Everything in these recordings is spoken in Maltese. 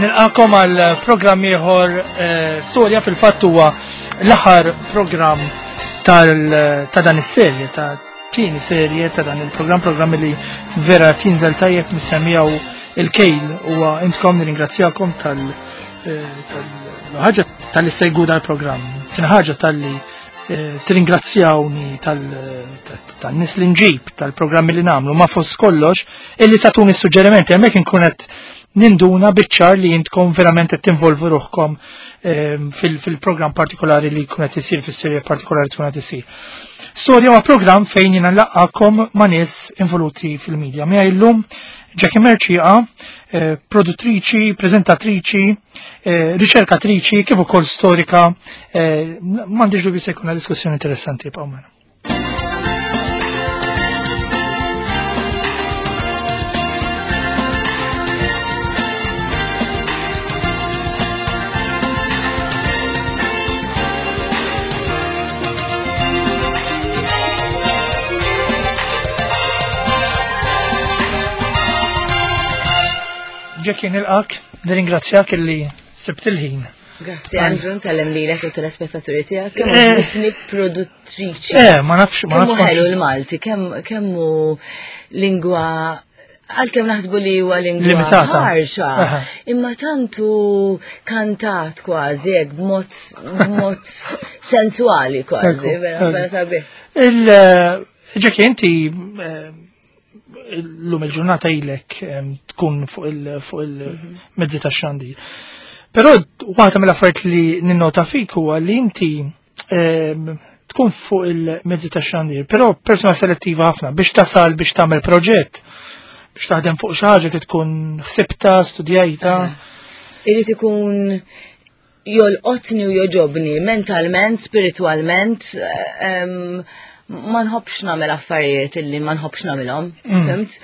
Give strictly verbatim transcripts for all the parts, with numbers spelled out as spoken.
Nilqakom għal programm ieħor eh, storja. Fil-fatt huwa l-aħħar programm ta' dan is-serje, ta' tieni serje ta' dan il-programm, programm li vera tinżel tajjeb mis-semmijaw il-kejl huwa intkom. Nirringrazzjakom tal eh, ħaġa tal-li segwu dal-programm. Tieni ħaġa tal-li eh, tirringrazzjawni tan-nies li nġib, tal-programmi li nagħmlu, ma fost kollox illi tatuni suġġerimenti. Hemmhekk inkun qed ninduna biċ-ċar li intkom verament qed tinvolvu ruħkom ehm, fil-programm partikolari li jkun qed isir, fis-serje partikolari tkun qed isir. Storja huwa programm fejn jiena nlaqqakom ma' nies involuti fil-medja. Miegħi llum Jackie Mercieca, eh, produttriċi, preżentatriċi, eh, riċerkatriċi, kif ukoll storika. eh, M'għandix dubju se jkun diskussjoni interessanti. Ibqgħu magħna. Jackie, nilqak, nirringrazzjak illi sibt il-ħin. Grazzi, Andrew, nsellem lilek u telespettaturi tiegħek. Kemm Eh. għoġbitni produttriċi. Eh, ma nafx, ma Kemm hu nafx. ħelu l-Malti, kemm kemm hu lingwa, għalkemm naħsbu li huwa lingwa Limitata. ħarxa, Aha. imma tantu kantat kważi hekk b'mod b'mod sensuali kważi, Ekku, vera ekku. vera sabiħ. Il- Jackie, inti eh, l-lum il-ġurnata ilek em, tkun fuq il- fuq il-mezzi ta' xandir. Però waħda mill-affarijiet li ninnota fik huwa li inti em, tkun fuq il-mezzi ta' xandir, però persona selettiva ħafna biex tasal biex tagħmel proġett, biex taħdem fuq xi ħaġa trid tkun ħsibta, studjajta. Irid ikun jolqotni u joġobni mentalment, spiritualment, em, ma nħobbx nagħmel affarijiet illi ma nħobbx nagħmilhom, fhimt?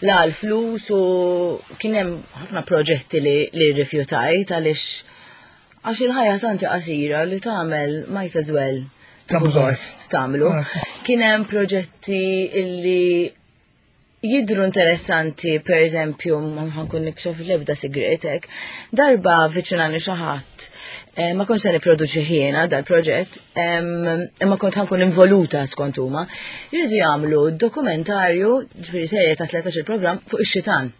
La l-flus, u kien hemm ħafna proġetti li, li rrifjutajt għaliex għax il-ħajja tanti qasira li tagħmel might as well tieħu Tagħmlu. gost tagħmlu. Ah. Kien hemm proġetti illi jidru interessanti, per eżempju, ma ħankun nikxef l-ebda sigretek, darba avviċinani xi ħadd, eh, ma kontx se nipproduċi jiena dal-proġett, em, imma kont ħankun involuta skont huma, jridu jagħmlu dokumentarju, ġifieri serje ta' tlettax il-programm fuq ix-xitan.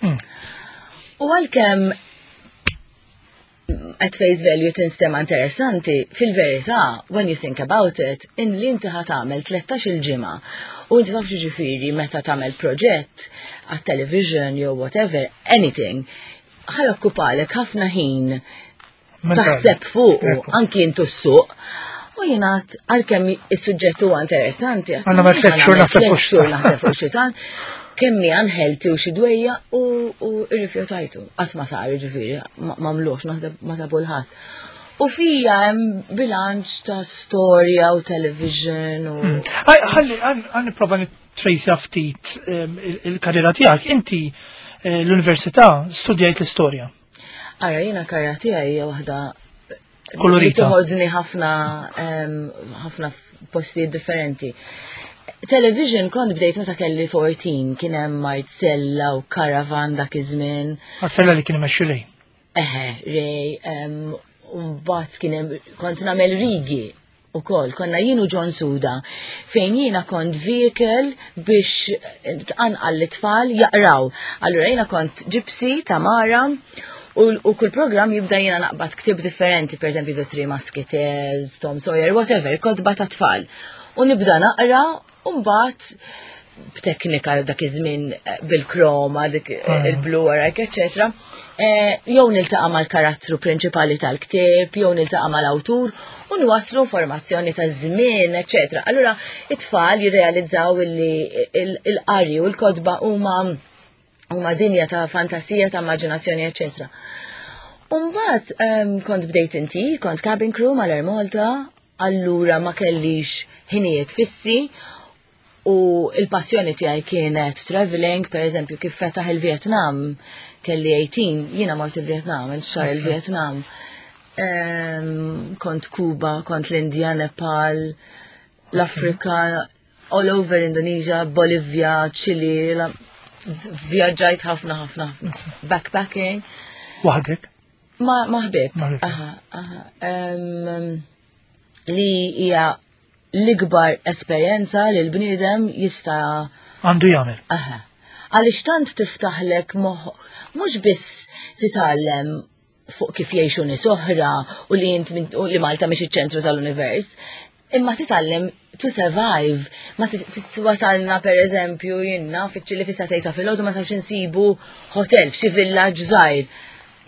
Mm. U għalkemm at face value tinstema interessanti, fil-verità, when you think about it, in li inti ħa tagħmel tlettax il-ġimgħa u inti taf ġifieri meta tagħmel proġett għat-television jew whatever, anything, ħa jokkupalek ħafna ħin Mentali. taħseb fuq Ekku. anki intu s-suq. U jiena għalkemm is-suġġett huwa interessanti, għedt, Għandna ma tliet xhur "Ħa nagħmel naħseb tliet fuq xhur naħseb fuq xitan, kemm hi unhealthy u xi dwejja", u u rrifjutajtu. Qatt ma sar, ġifieri, ma m'għamlux, naħseb ma sabu l-ħadd. U fija hemm bilanċ ta' storja u television u Ħalli, ħa nipprova nittrejsja ftit em, il- il-karriera tiegħek. Inti eh, l-università studjajt l-istorja. Ara, jiena karriera tiegħi hija waħda Kolorita. li toħodni ħafna em, ħafna postijiet differenti. Television kont bdejt meta kelli erbatax, kien hemm Marcella u Caravan dak iż-żmien. Marcella li kien imexxi Ray. Eħe, Ray, em, u mbagħad kien hemm kont nagħmel rigi ukoll, konna jien u John Suda, fejn jiena kont vehicle biex tqanqal l-tfal jaqraw. Allura jiena kont Gypsy Tamara, u, u kull program jibda jiena naqbad ktib differenti, per eżempju The Three Musketeers, Tom Sawyer, whatever, kotba ta' tfal. U nibda naqra, u mbagħad b'teknika dak iż-żmien eh, bil-kroma, dik eh, Ah. il-blu warajk, eċetera. Eh, Jew niltaqa' mal-karattru prinċipali tal-ktieb, jew niltaqa' mal-awtur u nwaslu informazzjoni ta' żmien, eċetera. Allura it-tfal jirrealizzaw li il- il-qari u l-kotba huma huma dinja ta' fantasija, ta' immaġinazzjoni, eċetera. Umbat, um, kont bdejt inti, kont cabin crew mal-Air Malta, allura ma kellix ħinijiet fissi u il-passjoni tiegħi kienet traveling, per eżempju, kif fetaħ il-Vietnam, kelli tmintax, jiena mort il-Vietnam, il-xahar il-Vietnam. Um, kont Kuba, kont l-Indja, Nepal, l-Afrika, all over Indonesia, Bolivia, Chile, la- vjaġġajt ħafna ħafna ħafna. Backpacking. Waħdek? Ma ma ħbib. Ma ħbib. Aha, aha. Em, li hija l-ikbar esperjenza li l-bniedem jista' Għandu jagħmel. Aha. Għaliex tant tiftaħlek moħ, mhux biss titgħallem fuq kif jgħixu nies oħra u li int min- u li Malta mhix iċ-ċentru tal-univers, imma titgħallem to survive. Ma tit- wasalna per eżempju jiena fiċ-Ċili fis-sagħtejn ta' filgħodu, ma sawx insibu hotel f'xi villaġġ żgħir.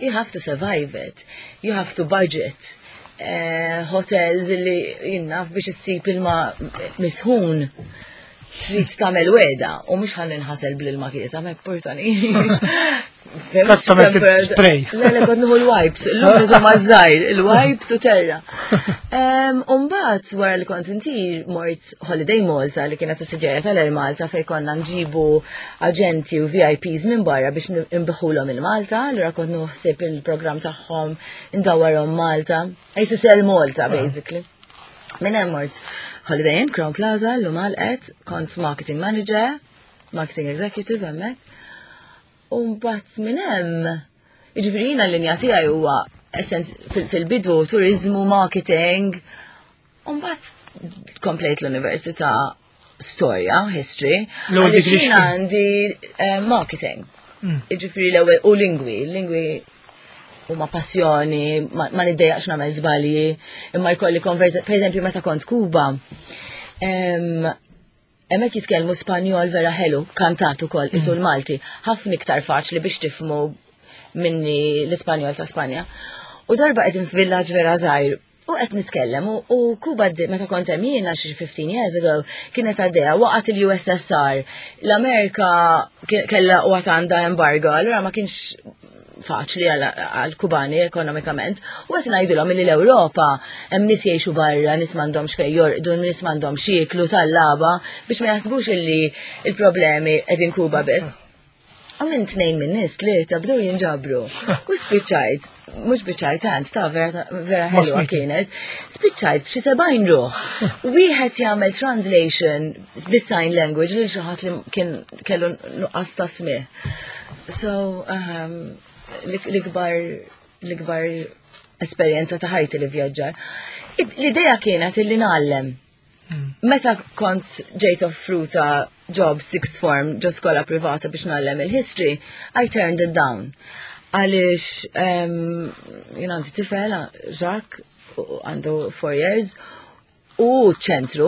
You have to survive it. You have to budget. Eh, hotels li jiena biex issib ilma misħun trid tagħmel weda u mhux ħalli nħasel bl-ilma kiesaħ, ma purtani. Kont tagħmel spray. Le, le, kont nieħu l-wipes, l-lum niżhom żgħir, il-wipes u terra. Umbagħad wara li kont intir mort Holiday Malta, li kienet sussidjarja tal-Air Malta, fej konna nġibu aġenti u V I Ps minn barra biex nbigħulhom il-Malta, allura kont naħseb il-programm tagħhom, ndawwarhom Malta. Ejsu sell Malta, basically. Minn hemm mort Holiday Inn, Crowne Plaza, l-lum għalqet, kont marketing manager, marketing executive hemmhekk. U mbagħad minn hemm, jiġifieri jiena l-linja tiegħi huwa essens fil- fil-bidu turizmu, marketing. U mbagħad komplejt l-università storja, history. L-ewwel Għaliex degree jiena x'kien? għandi eh, marketing. Mm. Jiġifieri l-ewwel u lingwi, lingwi huma passjoni, ma, ma niddejjaqx nagħmel żbalji, imma jkolli konverza, per eżempju meta kont Kuba, em, hemmhekk jitkellmu Spanjol vera ħelu, kantat ukoll isu l-Malti, ħafna iktar faċli biex tifhmu minni l-Ispanjol ta' Spanja. U darba qegħdin f'villaġġ vera żgħir u qed nitkellem u, u Kuba d- meta kont hemm jiena xi fifteen years ago kienet għaddejja waqgħet il-U S S R. L-Amerika ke- kellha u għandha embargo, allura ma kienx faċli għal-Kubani ekonomikament. U qed ngħidulhom li l-Ewropa hemm nies jgħixu barra, nies m'għandhomx fejn jorqdu, nies m'għandhomx jieklu tal-laba, biex ma jaħsbux illi il-problemi qegħdin Kuba biss. U minn tnejn minn nies, tlieta bdew jinġabru. U spiċċajt, mhux spiċċajt tant, ta' vera vera ħelwa Smiti. kienet, spiċċajt b'xi sebgħin ruħ. Wieħed jagħmel translation bis-sign language lil xi ħadd li kien kellu nuqqas ta' smigħ. So, um, l-ikbar l-ikbar esperjenza ta' ħajti li vjaġġar. L-idea kienet illi ngħallem. Meta kont ġejt offruta job sixth form ġo skola privata biex ngħallem il-history, I turned it down. Għaliex um, jien għandi tifel, Jacques, u għandu four years, u ċentru,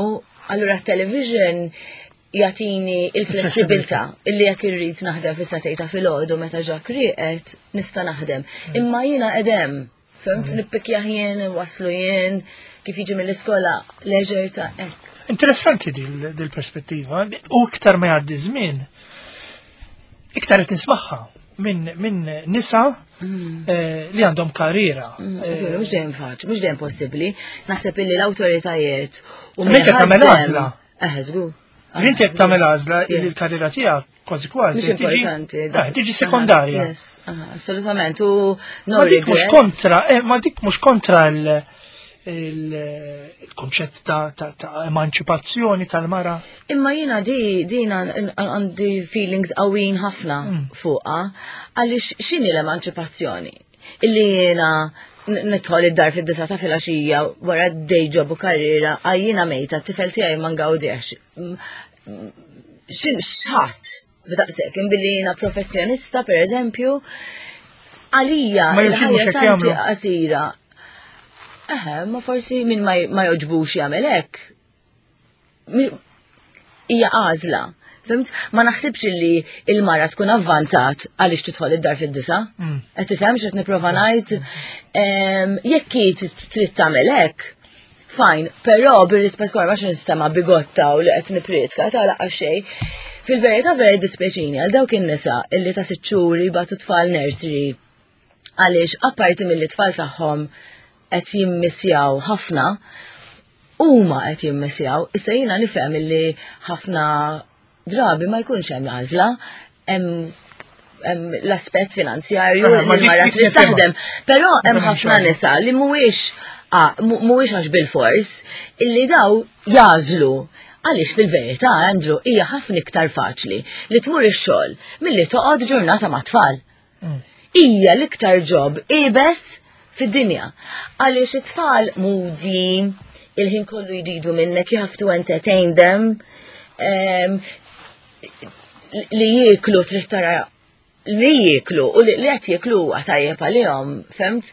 allura television jagħtini il-flessibilità illi jekk irrid naħdem fis-sagħtejn ta' filgħodu meta Jacques rieqed nista' naħdem. Imma jiena edem, fhimt, nippikja jien, waslu jien, kif jiġi mill-iskola, leisure ta' hekk. Interessanti dil- dil-perspettiva. U iktar ma jgħaddi żmien, iktar qed nismagħha minn min nisa eh, li għandhom karriera. Eh, Mhux dejjem faċli, mhux dejjem possibbli. Naħseb illi l-awtoritajiet u Inti qed tagħmel għażla. Eh, żgur. Inti qed tagħmel għażla Yes. li l-karriera tiegħek kważi kważi Mhux tiġi- importanti. Eh, tiġi sekondarja. Yes, aha, assolutament. U no Ma dik mhux regret. kontra, eh, ma dik mhux kontra il- il- il-konċett ta' ta' ta' emanċipazzjoni tal-mara. Imma jiena di dina għandi feelings qawwin ħafna fuqha, għaliex x'inhi l-emanċipazzjoni? Illi jiena n- nidħol id-dar fid-disgħa ta' filgħaxija wara day job u karriera, għaj jiena mejta, t-tifel tiegħi ma ngawdiex. Xin xħat b'daqshekk billi jiena professjonista, per eżempju, għalija Ma jimxi mhux il-ħajja hekk tanti jagħmlu. qasira. Eħe, ma forsi min ma ma joġbux jagħmel hekk. Mi- Hija għażla. Fhimt? Ma naħsibx illi il-mara tkun avvanzat għaliex tidħol id-dar fid-disgħa. Mm. Qed tifhem x'qed nipprova ngħid? Em, Jekk hi trid tagħmel hekk, fine, però bir-rispett kollu, ma nistema bigotta u li qed nipritka ta' laqqa xejn. Fil-verità vera dispjaċini għal dawk in-nisa illi ta' sitt xhur jibagħtu tfal nursery, għaliex apparti mill-tfal tagħhom qed jimmissjaw ħafna, huma qed jimmissjaw. Issa jiena nifhem illi ħafna drabi ma jkunx hemm għażla, hemm hemm l-aspett finanzjarju Ah, ma li dik- mara dik trid nifhimha. taħdem. Però hemm Nifhem ħafna xogħol. nisa li mhuwiex ah, mu- mhuwiex għax bil-fors illi daw jażlu. Għaliex fil-verità, Andrew, hija ħafna iktar faċli li tmur ix-xogħol milli toqgħod ġurnata ma' tfal. Mm. Hija l-iktar job iebes fid-dinja. Għaliex it-tfal moody, il-ħin kollu jridu minnek, you have to entertain them. Um, li jieklu trid tara li jieklu u li qed jieklu huwa tajjeb għalihom, fhimt?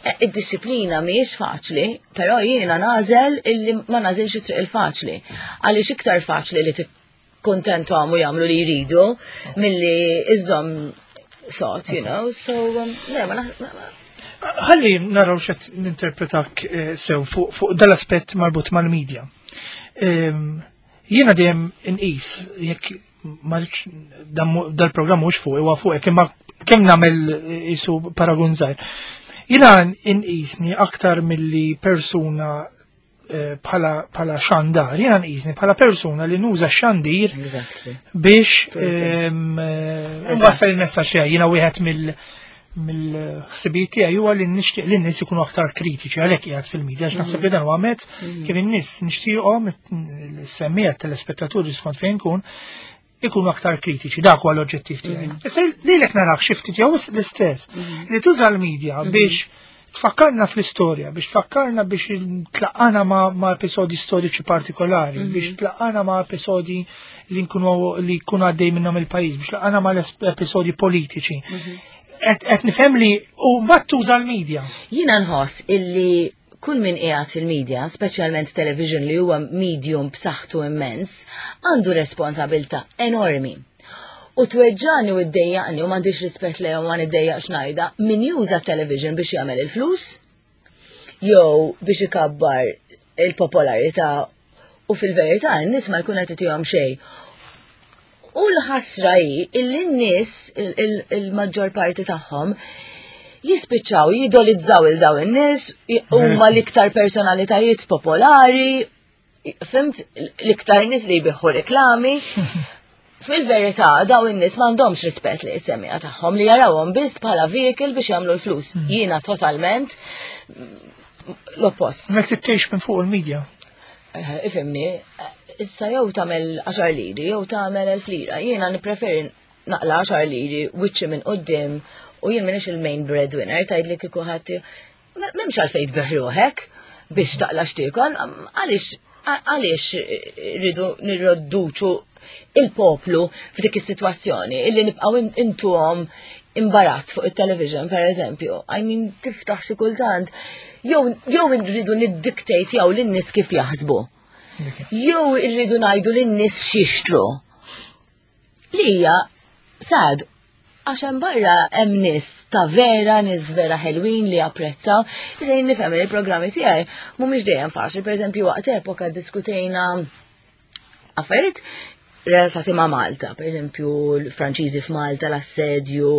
E, Id-disciplina mhijiex faċli, però jiena nagħżel illi ma nagħżilx it-triq il-faċli. Għaliex iktar faċli li tikkuntenthom u jagħmlu li jridu milli iżżomm sod, you know, so, um, le, ma naħ- ma- ma- Ħalli naraw x'qed ninterpretak eh, sew fuq fuq dal-aspett marbut mal-medja. Ehm, Jiena dejjem inqis jekk ma rridx dan mu- dal-programm mhux fuq huwa fuq imma kemm nagħmel eh, isu paragun żgħir. Jiena inqisni aktar milli persuna eh, bħala bħala xandar, jiena nqisni bħala persuna li nuża xandir Exactly. biex ehm, eh, nwassal il-messaġġ tiegħi. Jiena wieħed mill mill-ħsibijiet tiegħi huwa li nixtieq li n-nies ikunu aktar kritiċi għalhekk qiegħed fil-medja għax naħseb li dan huwa mezz kif in-nies nixtieqhom is-semmiegħa telespettaturi skont fejn kun ikunu aktar kritiċi, dak huwa l-oġġettiv tiegħi. Issa lilek narak xi ftit jew l-istess li tuża l-medja biex tfakkarna fl-istorja, biex tfakkarna biex tlaqqana ma', ma episodi storiċi partikolari, biex tlaqqana ma' episodi li nkunu li jkunu għaddej minnhom il-pajjiż, biex tlaqqana ma' episodi politiċi. Et, et nifhem li u mbagħad tuża l-medja. Jiena nħoss illi kull min qiegħed fil-medja, speċjalment television li huwa medium b'saħħtu immens, għandu responsabilità enormi. U tweġġani u ddejjaqni u m'għandix rispett lejhom ma niddejjaqx ngħidha, min juża television biex jagħmel il-flus, jew biex ikabbar il-popolarità u fil-verità n-nies ma jkun qed itihom xejn. U l-ħasra hi illi n-nies il-maġġor parti tagħhom jispiċċaw jidolizzaw il daw in-nies huma l-iktar personalitajiet popolari, fhimt l-iktar nies li jbigħu reklami. Fil-verità, daw in-nies m'għandhomx rispett li s-semmiegħa tagħhom li jarawhom biss bħala vehicle biex jagħmlu l-flus. Jiena totalment l-oppost. Mek tgħix minn fuq il-medja. Eh, Ifhimni, issa jew tagħmel għaxar liri, jew tagħmel elf lira. Jiena nippreferi naqla għaxar liri wiċċi minn quddiem u jien minix il-main breadwinner tgħid li kieku ħadd m'hemmx għalfejn tbigħ ruħek biex taqla x'tiekol, għaliex għaliex rridu nirrodduċu il-poplu f'dik is-sitwazzjoni illi nibqgħu intuhom imbarazz fuq il-television, per eżempju. I mean, tiftaħ xi kultant. Jew jew rridu niddictate jew lin-nies kif jaħsbu. Jew irridu ngħidu lin-nies x'jixtru. Li hija sad għax hemm barra hemm nies ta' vera, nies vera ħelwin li japprezzaw. Issa jien nifhem li il-programmi tiegħi mhumiex dejjem faċli. Per eżempju, waqt epoka diskutejna affarijiet relatati ma' Malta, per eżempju, l-Franċiżi f'Malta, l-assedju.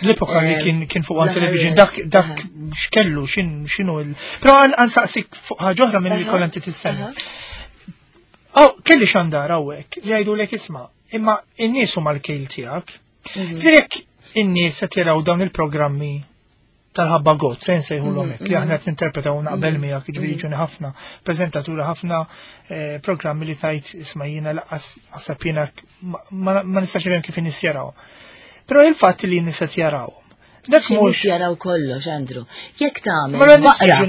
L-epoka li kien kien fuq One Television, dak dak x'kellu, x'inhu il. Però ħa nsaqsik fuq ħaġa oħra minn li kollha inti tissemmi. Aw, kelli xandar hawnhekk li jgħidu lek isma' imma n-nies huma l-kejl tiegħek. Jekk in-nies qed jaraw dawn il-programmi tal-ħabba got, se nsejħulhom hekk, li aħna qed ninterpretaw naqbel miegħek, jiġifieri ġuni ħafna preżentaturi ħafna eh, programmi li tajt isma' jiena lanqas naħseb jiena ma nistax nifhem kif in-nies jaraw. Però il-fatt li n-nies qed jarawhom. Dak mhux jaraw kollox, Andrew. Jekk tagħmel baqra.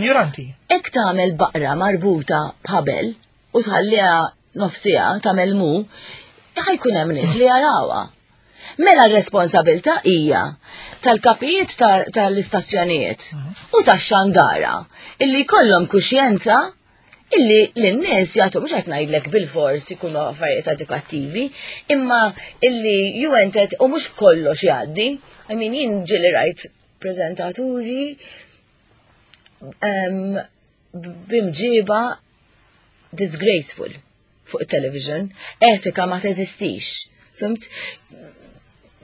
Jekk tagħmel baqra marbuta b'ħabel u tħalliha nofsija tagħmel mu, ħa jkun hemm nies li jarawha. Mela r-responsabilità hija tal-kapijiet tal-istazzjonijiet u tax-xandara illi jkollhom kuxjenza illi l-nies jagħtu mhux qed ngħidlek bil-fors ikunu affarijiet edukattivi, imma illi ju entet u mhux kollox jgħaddi. I mean, jien ġieli rajt preżentaturi b'imġiba disgraceful fuq il-television, etika ma teżistix. Fhimt?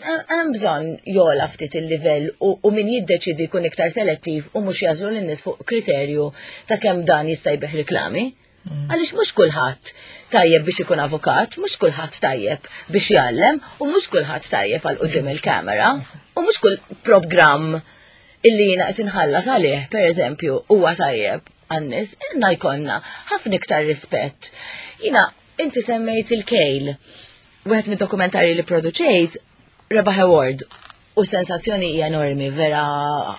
Hemm bżonn jogħla ftit il-livell u min jiddeċidi jkun iktar selettiv u mhux jagħżlu lin-nies fuq kriterju ta' kemm dan jista' jbigħ reklami. Mm. Għaliex mhux kulħadd tajjeb biex ikun avukat, mhux kulħadd tajjeb biex jgħallem u mhux kulħadd tajjeb għal quddiem il-kamera u mhux kull programm illi jiena qed inħallas għalih, pereżempju, huwa tajjeb għan-nies, inna jkollna ħafna iktar rispett. Jiena inti semmejt il-kejl. Wieħed mid-dokumentarji li produċejt rebaħ award U sensazzjoni hija enormi, vera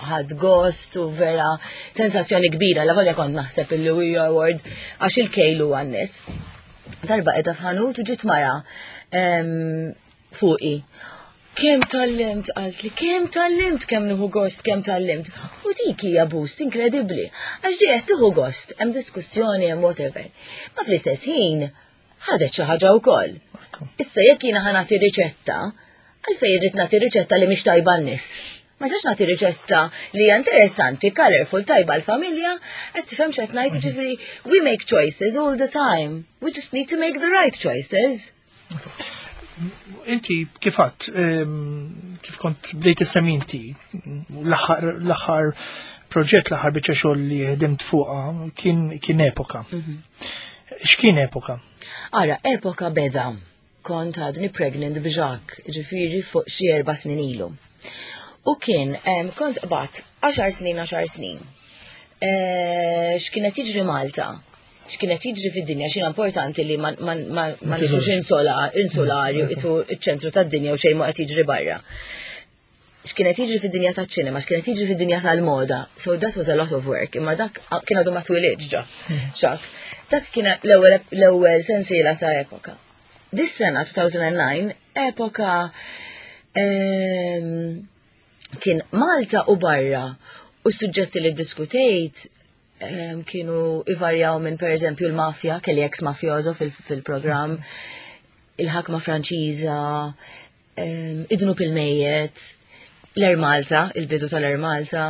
ħadt gost u vera sensazzjoni kbira, la volja kont naħseb il-Louis Award għax il-kejlu għan-nies. Darba qiegħda f'ħanut u ġiet mara em, fuqi. Kemm tgħallimt, qaltli, kemm tgħallimt, kemm nieħu gost, kemm tgħallimt. U dik hija boost inkredibbli. Għax di qed tieħu gost, hemm diskussjoni, hemm whatever. Ma fl-istess ħin ħadet xi ħaġa wkoll. Issa jekk jiena ħa nagħti riċetta, għalfejn irrid nagħti riċetta li mhix tajba n-nies. Ma nistax nagħti riċetta li hija interessanti, colorful, tajba l-familja, qed tifhem x'qed ngħid, ġifieri we make choices all the time. We just need to make the right choices. Inti kif għedt, kif kont bdejt issemmi inti, l-aħħar proġett, l-aħħar biċċa xogħol li ħdimt fuqha kien kien epoka. X'kien epoka? Ara, epoka beda. Kont għadni pregnant b'Jacques, ġifieri fuq xi erba' snin ilu. U kien, em, kont qbadt għaxar snin, għaxar snin. Eh, X'kienet jiġri Malta? X'kienet jiġri fid-dinja, x'inhu importanti li ma, ma, ma, ma niġux insola, insulari, isu iċ-ċentru tad-dinja u xejn ma qed jiġri barra. X'kienet jiġri fid-dinja taċ-ċinema, x'kienet jiġri fid-dinja tal-moda. So that was a lot of work, imma dak kien għadu ma twilidx ġa. Xak. Dak kien l-ewwel l-ewwel sensiela ta' epoka. Dis sena elfejn u disgħa, epoka em, kien Malta u barra u s-suġġetti li diskutejt em, kienu ivarjaw minn per eżempju l-mafja, kelli ex-mafjoso fil-program, il-ħakma Franċiża, em, id-dnub il-mejjet, l-Air Malta, il-bidu tal-Air Malta,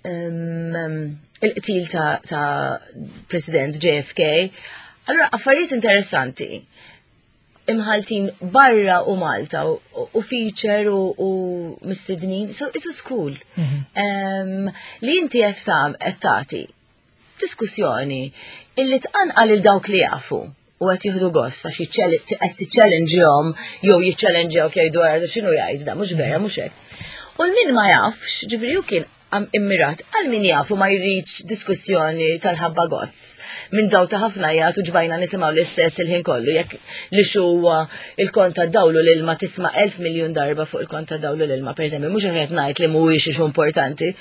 em, il-qtil ta', ta President J F K. Allora, affarijiet interessanti imħaltin barra u Malta u, u feature u, u mistednin, so it's a school. Um, li inti qed tam qed tagħti diskussjoni illi tqanqal il dawk li jafu u qed jieħdu gost għax qed tiċċellenġjhom jew jiċċellenġjaw jgħidu għara x'inhu jgħid da mhux vera mhux hekk. U l-min ma jafx, ġifieri hu kien am immirat għal min jafu ma jridx diskussjoni tal-ħabba gozz. Minn daw ta' ħafna jgħatu ġbajna nisimgħu l-istess il-ħin kollu, jekk li xuwa il-kont ta' dawlu l-ilma tisma' elf miljon darba fuq il-kont ta' dawlu l-ilma, per eżempju, mhux qed ngħid li mhuwiex issue importanti,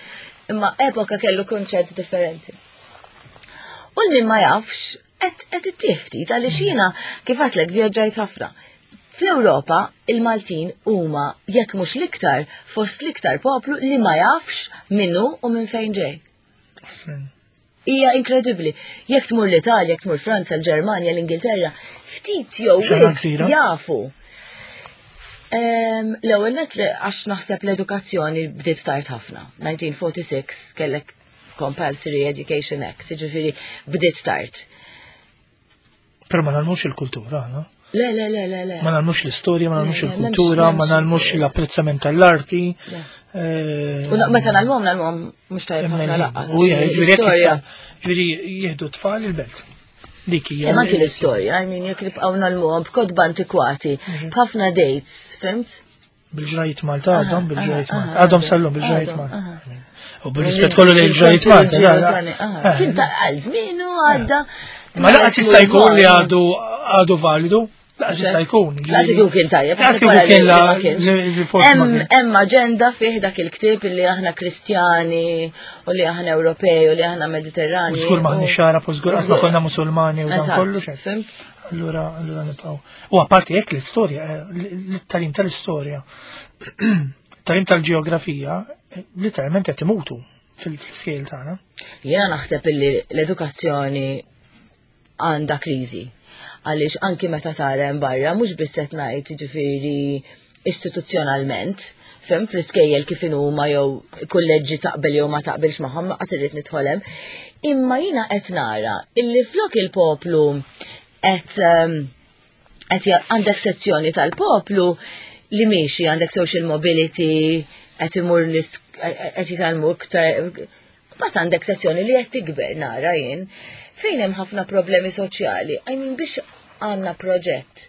imma epoka kellu konċett differenti. U l-min ma jafx, qed ittih ftit għaliex jiena kif għedtlek vjaġġajt ħafna. Fl-Ewropa, il-Maltin huma jekk mhux l-iktar fost l-iktar poplu li ma jafx minnu u minn fejn ġej. Hija inkredibbli. Jekk tmur l-Italja, jekk tmur Franza, l-Ġermanja, l-Ingilterra, ftit jew Xena wisq gżira. jafu. Em, L-ewwel net li għax naħseb l-edukazzjoni bdiet tard ħafna. elf disa' mija u erbgħa u erbgħin kellek Compulsory Education Act, jiġifieri bdiet tard. Però ma ngħallmux il-kultura, no? Le, le, le, le, le. Ma ngħallmux l-istorja, ma ngħallmux Le, le, il-kultura, m'hemmx- ma ngħallmux m'hemmx- l-apprezzament tal-arti. Le. eh, U meta ngħallmuhom ngħallmuhom mhux tajjeb ħafna lanqas. U hija, ġifieri jekk L-istorja. issa- ġifieri jieħdu tfal il-belt. Dik hija. Imma anki l-istorja, I mean, jekk nibqgħu ngħallmuhom b'kotba antikwati, b'ħafna dates, fhimt? Bil-ġrajiet Malta għadhom, bil-ġrajiet aha, Malta. aha, Għadhom sal-lum bil-ġrajiet għadhom, Malta. aha. U bil-rispett kollu lejn il-ġrajiet Malta. la, la. Eh, Kien ta' għal żmienu għadda. Ma lanqas jista' jkun li għadu għadu validu. Lanqas jista' jkun. Lanqas jkun kien tajjeb. Lanqas kieku wara li- kien li la ma kienx. li- li forsi ma Hemm kien. hemm aġenda fih dak il-ktieb li aħna Kristjani u li aħna Ewropej u li aħna Mediterrani. U żgur maħniex Għarab u żgur qatt ma konna Musulmani u dan Eżatt, kollu xejn. Fhimt? Allura, allura nibqgħu. U apparti hekk l-istorja, eh, l-tagħlim tal-istorja, tagħlim tal-ġeografija, eh, literalment qed imutu fil-skejjel tagħna. Jiena naħseb illi l-edukazzjoni għandha kriżi. Għaliex anki meta tara hemm barra, mhux biss qed ngħid ġifieri istituzzjonalment, fhimt fl-iskejjel kif huma jew kulleġġi taqbel jew ma taqbilx magħhom, ma qas irrid nidħol hemm. Imma jiena qed nara illi flok il-poplu qed ehm, qed ja- għandek sezzjoni tal-poplu li miexi għandek social mobility, qed imur nis- qed jitgħallmu iktar. Mbagħad għandek sezzjoni li qed tikber nara jien fejn hemm ħafna problemi soċjali. I mean biex għandna proġett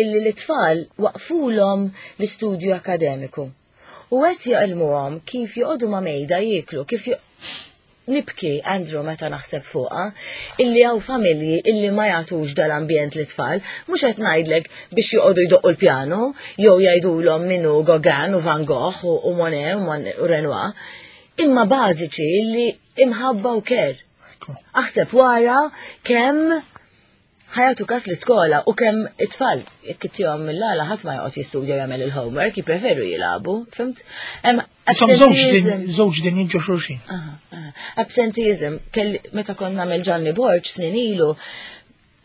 illi l-tfal waqfulhom l-istudju akademiku. U qed jgħallmuhom kif joqogħdu ma' mejda jieklu, kif jo- Nibki, Andrew, meta naħseb fuqha, illi hawn familji illi ma jagħtux dal-ambjent lit-tfal, mhux qed ngħidlek biex joqogħdu jdoqqu l-pjano, jew jgħidulhom min hu Gauguin u Van Gogh u u Monet u Mon- u Renoir, imma bażiċi illi imħabba u care. Ekku. Aħseb wara kemm ħa jagħtu kas l-iskola u kemm it-tfal jekk ittihom mill-għala, ħadd ma joqgħod jistudja, jagħmel il-homework, jippreferu jilagħbu, fhimt? Hemm Insomma, żewġ din absenteeism. żewġ din ġo xulxin. Aha, aha. Absenteeism, kelli meta kont nagħmel Gianni Borg snin ilu,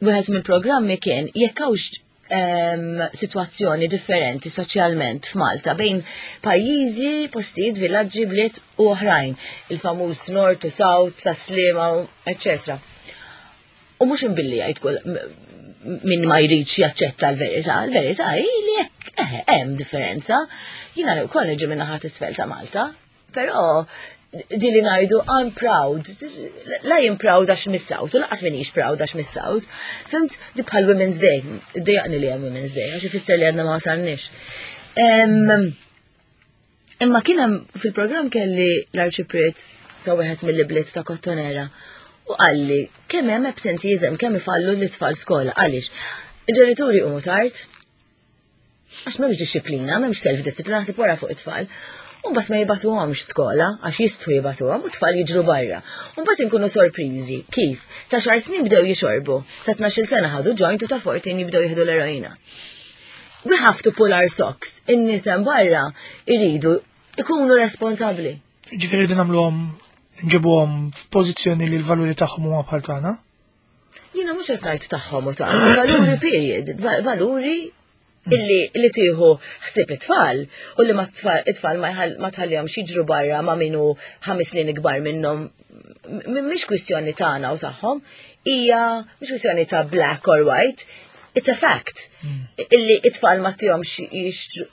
wieħed mill-programmi kien jekk hawnx em, sitwazzjoni differenti soċjalment f'Malta bejn pajjiżi, postijiet, villaġġi, bliet u oħrajn, il-famuż North to South, ta' Sliema, eccetera. U mhux imbilli jgħid kull min ma jridx jaċċetta l-verità, l-verità hi li jekk eh, hemm differenza. Jiena wkoll niġi minn naħa t'isfel ta' Malta, però di li ngħidu "I'm proud", la jien proud għax mis-South, u lanqas minix proud għax mis-South. Fhimt, di bħal Women's Day, dejjaqni li hemm Women's Day, għax ifisser li għadna ma wasalniex. Em, Imma kien hemm fil-programm kelli l-Arċipriet ta' wieħed mill-bliet ta' Kottonera u qalli kemm hemm absenteeism, kemm ifallu l-itfal skola. Għaliex? Il-ġenituri huma tard, għax m'hemmx disċiplina, m'hemmx self-disciplina, ħsib wara fuq it-tfal. U mbagħad ma jibagħtuhomx skola għax jistgħu jibagħtuhom u t-tfal jiġru barra. U mbagħad inkunu sorpriżi kif ta' għaxar snin bdew jixorbu, ta' tnax-il sena ħadu joint u ta' erbatax jibdew jieħdu l-eroina. We have to pull our socks. In-nies hemm barra iridu ikunu responsabbli. Ġifieri din nagħmluhom, nġibuhom f'pożizzjoni li l-valuri tagħhom huma bħal tagħna. Jiena mhux qed ngħid tagħhom u tagħna, valuri period, va- valuri illi li tieħu ħsieb it-tfal u li ma tfal it-tfal ma jħall- ma tħallihomx jiġru barra ma min hu ħames snin ikbar minnhom. M- Mhix kwistjoni tagħna u tagħhom, hija mhix kwistjoni ta' black or white, it's a fact. Illi it-tfal ma tihomx jixtru,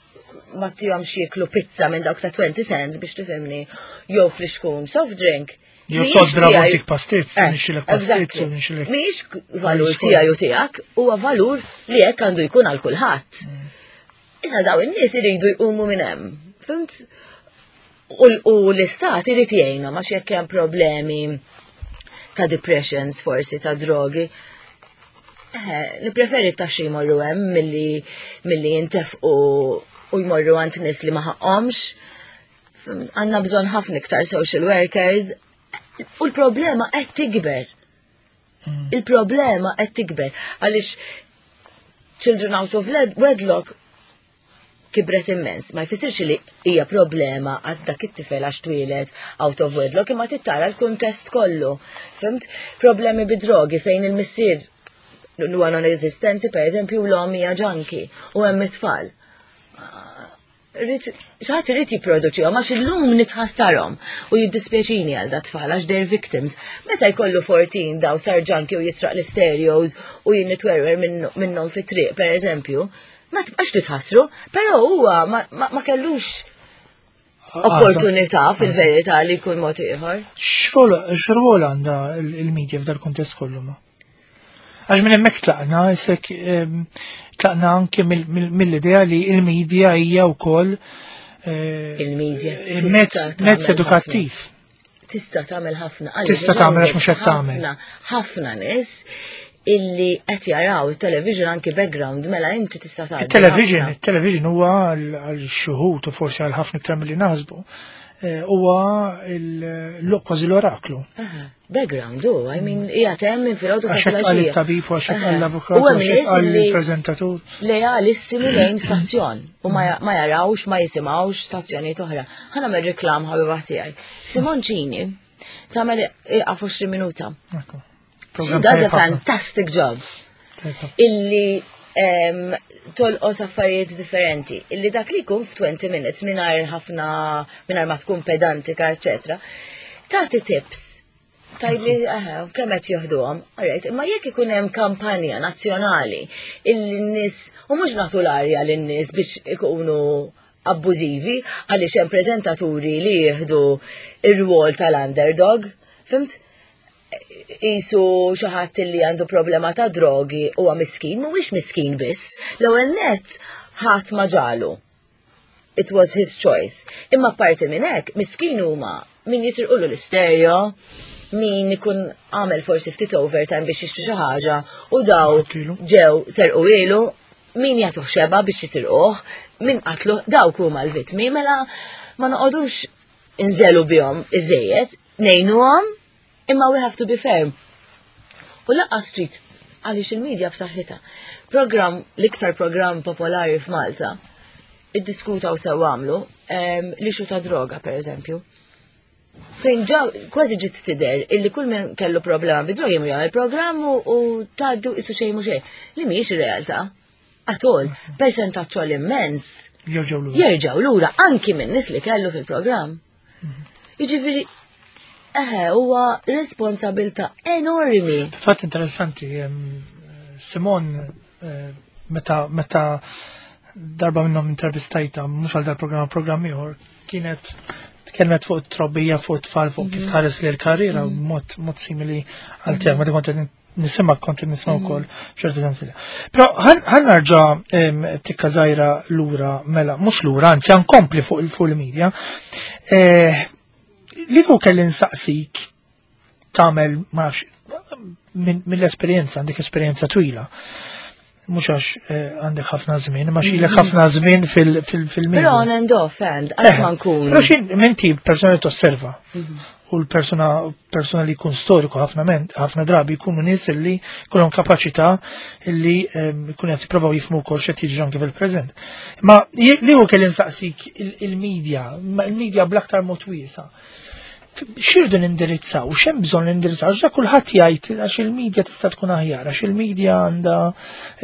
ma tihomx jieklu pizza minn dawk ta' twenty cents, biex tifhimni, jew flixkun soft drink. Jew Mhijiex todd tiegħi- tik pastizz, Eh, nixxilek pastizz exactly. u nixxilek. Mhijiex valur tiegħi u tiegħek, huwa valur li hekk għandu jkun għal kulħadd. Issa daw in-nies iridu jqumu minn hemm. Fhimt? U u l-istat irid jgħinna ma jekk hemm problemi ta' depressions, forsi ta' drogi. Eh, nippreferi t-taxxi jmorru hemm milli milli jintefqu u jmorru għand nies li ma ħaqhomx. Għandna bżonn ħafna iktar social workers u l-problema qed tikber. Il-problema qed tikber għaliex children out of led- wedlock kibret immens. Ma jfissirx li hija problema għad dak it-tifel għax twieled out of wedlock, imma tittara l-kuntest kollu. Fhimt? Problemi bid-drogi fejn il-missier huwa non-esistenti, per eżempju, u l-omm hija junkie u hemm it-tfal. Xi ħadd irid jipproduċihom għax illum nitħassarhom u jiddispjaċini għal dat-tfal għax they're victims. Meta jkollu erbatax daw sar junkie u jisraq l-stereos u jien nitwerwer minnhom fit-triq, per eżempju, ma tibqax titħassru, però huwa ma, ma, ma kellux opportunità fil-verità li jkun mod ieħor. X'rwol għandha il-media f'dal kuntest kollu ma? Għax minn hemmhekk tlaqna, isek tlaqna anke mill-idea li il-media hija wkoll eh, Il-media mezz tista' mezz tagħmel edukattiv. Tista' tagħmel ħafna. Tista' tagħmel għax mhux qed tagħmel. Ħafna, ħafna nies illi qed jaraw il-television anki background, mela inti tista' tagħmel. Il-television, ħafna. Il-television huwa għal xuhut u forsi għal ħafna iktar milli naħsbu. Eh, Huwa il- kważi l-oraklu. Aha, background, u, I mean, hija hemm minn filgħodu sa Għax hekk qal filgħaxija. it-tabib u għax hekk qal l-avukat U u hemm għax hekk nies qal illi il-preżentatur. lealissimi lejn stazzjon u ma ma jarawx, ma jisimgħux stazzjonijiet oħra. Ħa nagħmel reklam, ħabiba tiegħi. Simoncini tagħmel iqaf għoxrin minuta. Ekku. She Program does a tajjeb ħafna. fantastic job. Tajjeb ħafna. Illi em, tolqot affarijiet differenti. Illi dak li jkun f'twenty minutes mingħajr ħafna, mingħajr ma tkun pedantika, eċetera. Tagħti tips. Tgħidli eh, kemm qed jieħduhom. Alright, imma jekk ikun hemm kampanja nazzjonali illi n-nies u mhux nagħtu l-arja lin-nies biex ikunu abbużivi għaliex hemm preżentaturi li jieħdu ir-rwol tal-underdog, fhimt? Qisu xi ħadd li għandu problema ta' drogi huwa miskin, mhuwiex miskin biss. L-ewwel net ħadd ma ġalu. It was his choice. Imma parti minn hekk, miskin huma Min jisirqulu l-istereo, min ikun għamel forsi ftit overtime biex jixtri xi ħaġa u daw Kilu. ġew serquhielu, min jagħtuh xeba biex jisirquh, min qatlu, dawk huma l-vittmi, mela ma noqogħdux inżelu bihom iżejjed, ngħinuhom, imma we have to be firm. U lanqas trid għaliex il-medja b'saħħitha. Program, l-iktar program popolari f'Malta, iddiskuta u sew għamlu, em, l-issue ta' droga, per eżempju. Fejn ġaw, kważi ġiet tidher illi kull min kellu problema bid-drogi jmur jagħmel programm u, u tgħaddu qisu xejn mhu xejn. Li mhijiex ir-realtà. At all, persentaġġ immens Jerġgħu lura. jerġgħu lura anki minn nies li kellu fil-programm. Jiġifieri, eħe, huwa responsabilta enormi. Fatt interessanti, em, Simon, eh, meta meta darba minnhom intervistajta, mhux għal dal-programm, programm ieħor, kienet tkellmet fuq it-trobbija, fuq it-tfal, fuq kif tħares li l-karriera, mod mod simili għal tiegħek, meta kont qed nisimgħek kont qed nisma' wkoll f'ċerti sensi. Però ħa nerġa' em, tikka żgħira lura, mela, mhux lura, anzi ħa nkompli fuq il- fuq il-media. Eh, Li kieku kelli nsaqsik tagħmel ma nafx minn- mill-esperjenza, għandek esperjenza twila. Mhux għax eh, għandek ħafna żmien, ma xilek ħafna żmien fil-media. Però on and off, and għax ma nkun. Però xin, inti persona li tosserva u l-persona persona li jkun storiku ħafna men, ħafna drabi jkunu nies li jkollhom kapaċità li ehm, jkunu qed jippruvaw jifhmu wkoll x'qed jiġri anke fil-preżent. Ma li kieku kelli nsaqsik il- il-medja, ma il-medja bl-aktar mod wiesa'. X'irridu nindirizzaw, x'hemm bżonn nindirizzaw, għax dak kulħadd jgħid għax il-medja tista' tkun aħjar, għax il-medja għandha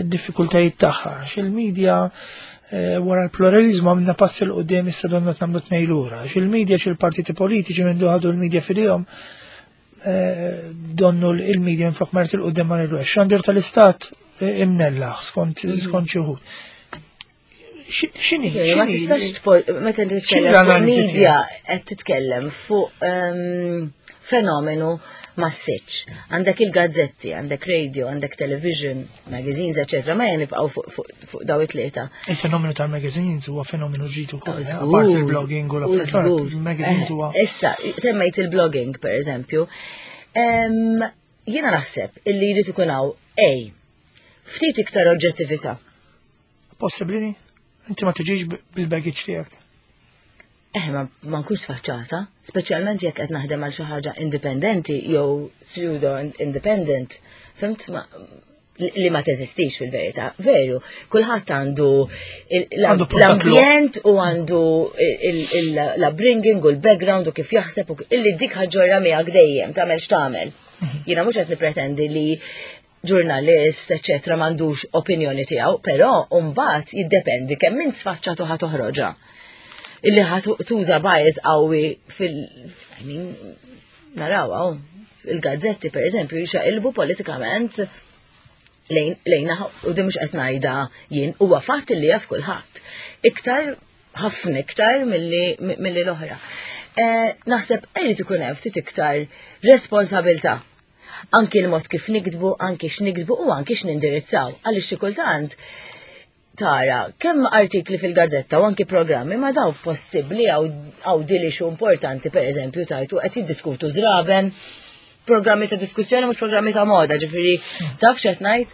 d-diffikultajiet tagħha, għax il-medja eh, wara l-pluralizmu għamilna passi 'l quddiem, issa donna nagħmlu tnejn lura, għax il-medja xi l-partiti politiċi minn ħadu l-medja f'idejhom, eh, donnu il-medja minn flok marret 'il quddiem ma nirru. Xandir tal-istat eh, imnellaħ skont skont xi wħud. X'inhi? Ma tistax tpol, meta titkellem fuq L-analiżi media qed titkellem fuq ehm, fenomenu massiċ. Għandek il-gazzetti, għandek radio, għandek television, magazines, eccetera. Ma jen nibqgħu fuq fuq- fuq daw it-tlieta. Il-fenomenu tal-magazines huwa fenomenu ġdid ukoll, eh, Żgur, apart il-blogging u u l-affarijiet, żgur. il-magazines Eh, huwa Issa, semmejt il-blogging, per eżempju. Em, Jiena naħseb illi jrid ikun hawn A, ftit iktar oġġettività. Possibbli? Inti ma tiġix bil-baggage tiegħek. Eh, ma, ma nkunx sfaċċata, speċjalment jekk qed naħdem għal xi ħaġa indipendenti jew pseudo independent. Fhimt ma li li ma teżistix fil-verità. Veru, kulħadd għandu il- Għandu l-ambjent u għandu il- il- l-upbringing u l-background u kif jaħseb u illi dik ħa ġġorrha miegħek dejjem tagħmel x'tagħmel. Jiena mhux qed nippretendi li ġurnalist, eccetera, m'għandux opinjoni tiegħu, però mbagħad jiddependi kemm minn sfaċċatu ħa toħroġha illi ħa tuża bias qawwi fil I mean, naraw hawn, il-gazzetti per eżempju jxaqilbu politikament lejn lejna u di mhux qed ngħidha jien, huwa fatt li jaf kulħadd. Iktar, ħafna iktar milli milli l-oħra. Eh, naħseb irid ikun hemm ftit iktar responsabilità. Anki l-mod kif niktbu, anki x'niktbu u anki x'nindirizzaw. Għaliex xi kultant tara kemm artikli fil-gazzetta u anki programmi ma daw possibbli għaw dili xu importanti, per eżempju tajtu qed jiddiskutu żraben, programmi ta' diskussjoni mhux programmi ta' moda, ġifieri taf x'qed ngħid.